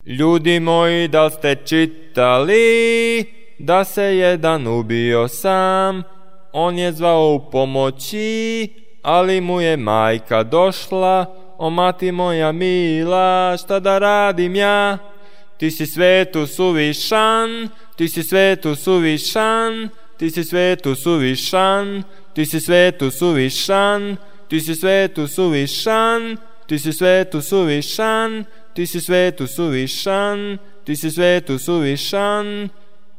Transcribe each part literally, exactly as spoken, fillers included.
Ljudi moji, da li ste čitali da se jedan ubio sam? On je zvao u pomoći, ali mu je majka došla. O mati moja mila, šta da radim ja? Ti si svetu suvišan, ti si svetu suvišan, ti si svetu suvišan, ti si svetu suvišan, ti si svetu suvišan, ti si svetu suvišan, ti si svetu suvišan, ti si svetu suvišan.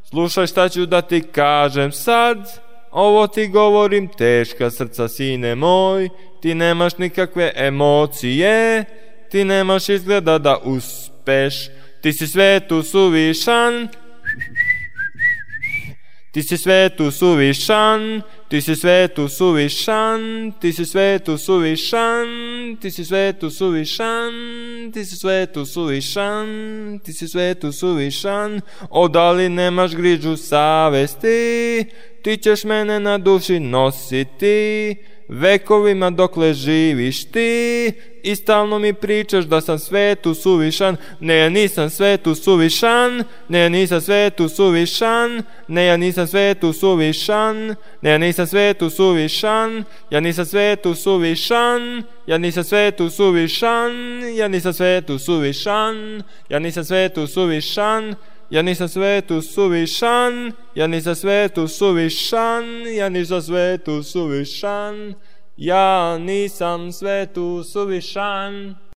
Slušaj šta ću da ti kažem sad, ovo ti govorim teška srca, sine moj. Ti nemaš nikakve emocije, ti nemaš izgleda da uspeš. Ti si svetu suvišan, ti si svetu suvišan, ti si svetu suvišan, ti si svetu suvišan, ti si svetu suvišan, ti si svetu suvišan, ti si svetu suvišan. O, da li nemaš grižu savesti, ti ćeš mene na duši nositi vekovima dokle živiš ti. I stalno mi pričaš da sam svetu suvišan. Ne, ja nisam svetu suvišan, ne, ja nisam svetu suvišan, ne, ja nisam svetu suvišan, ne, ja nisam svetu suvišan, ja nisam svetu suvišan, ja nisam svetu suvišan, ja nisam svetu suvišan, ja nisam svetu suvišan, ja nisam svetu suvišan, ja nisam svetu suvišan, ja nisam svetu suvišan, ja nisam svetu suvišan.